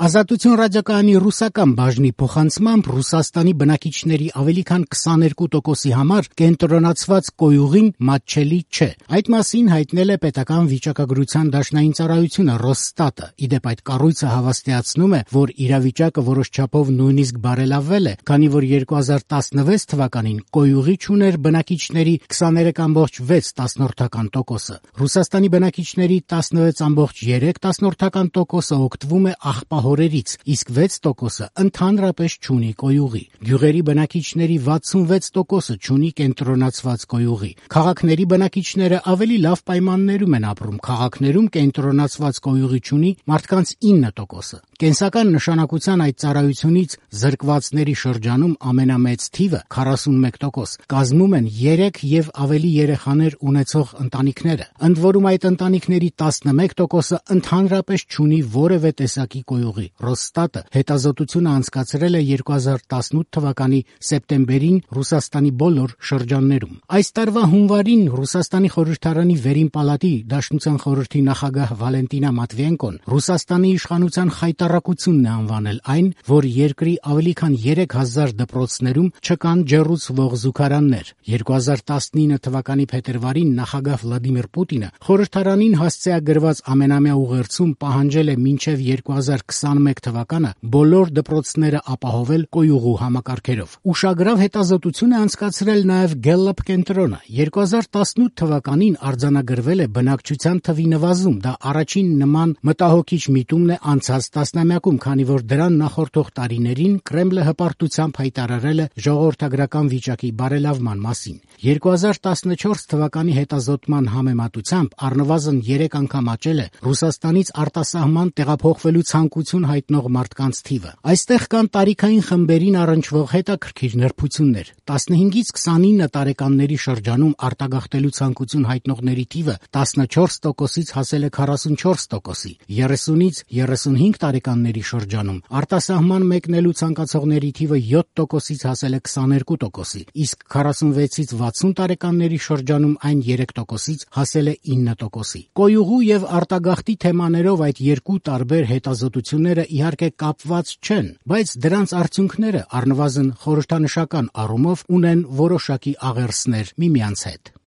Ազատություն ռադիոկայանի ռուսական բաժնի փոխանցմամբ Ռուսաստանի բնակիչների ավելի քան 22%-ի համար կենտրոնացված կոյուղին մատչելի չէ։ Այդ մասին հայտնել է պետական վիճակագրության դաշնային ծառայությունը Ռոսստատը։ Իդեպ այդ կառույցը հավաստիացնում է, որ իրավիճակը որոշ չափով նույնիսկ բարելավվել է, քանի որ 2016 թվականին կոյուղի չուներ բնակիչների 23.6%-ը։ Ռուսաստանի բնակիչների 16.3%-ը օգտվում է աղբահորերից, իսկ 6%-ը ընդհանրապես չունի կոյուղի։ Գյուղերի բնակիչների 66%-ը չունի կենտրոնացված կոյուղի։ Քաղաքների բնակիչները ավելի լավ պայմաններում են ապրում։ Քաղաքներում կենտրոնացված կոյուղի չունի մարդկանց 9%-ը։ Կենսական նշանակության այդ ծառայությունից զրկվածների շրջանում ամենամեծ թիվը 41% կազմում են 3 եւ ավելի երեխաներ ունեցող ընտանիքները։ Ընդ որում այդ ընտանիքների 11%-ը ընդհանրապես չունի որևէ տեսակի կոյուղի։ Ռոսստատը հետազոտությունը անցկացրել է 2018 թվականի սեպտեմբերին Ռուսաստանի բոլոր շրջաններում։ Այս տարվա հունվարին Ռուսաստանի խորհրդարանի վերին պալատի Դաշնության խորհրդի նախագահ Վալենտինա Մատվիենկոն Ռուսաստանի իշխանության խայտառակությունն է անվանել այն, որ երկրի ավելի քան 3000 դպրոցներում չկան ջեռուցվող զուգարաններ։ 2019 թվականի փետրվարին նախագահ Վլադիմիր Պուտինը խորհրդարանին հասցեագրված ամենամյա ուղերձում պահանջել է մինչև 2021 թվականը բոլոր դպրոցները ապահովել կոյուղու համակարգերով։ Ուշագրավ հետազոտություն է անցկացրել նաև Gallup կենտրոնը։ 2018 թվականին արձանագրվել է բնակչության թվի նվազում։ Դա առաջին նման մտահոգիչ միտումն է անցած տասնամյակում, քանի որ դրան նախորդող տարիներին Կրեմլը հպարտությամբ հայտարարել է ժողովրդագրական վիճակի բարելավման մասին։ 2014 թվականի հետազոտման համեմատությամբ առնվազն 3 անգամ աճել է Ռուսաստանից արտասահման տեղափոխվելու ցանկություն հայտնող մարդկանց թիվը։ Այստեղ կան տարիքային խմբերին առնչվող հետաքրքիր նրբություններ։ 15-ից 29 տարեկանների շրջանում արտագաղթելու ցանկություն հայտնողների թիվը 14%-ից հասել է 44%-ի, 30-ից 35 տարեկանների շրջանում արտասահման մեկնելու ցանկացողների թիվը 7%-ից հասել է 22%-ի, իսկ 46-ից 60 տարեկանների շրջանում այն 3%-ից հասել է 9%-ի։ Կոյուղու եւ արտագաղթի թեմաներով այդ երկու տարբեր հետազոտությունները իհարկե կապված չեն, բայց դրանց արդյունքները առնվազն խորհրդանշական առումով ունեն որոշակի աղերսներ միմյանց հետ։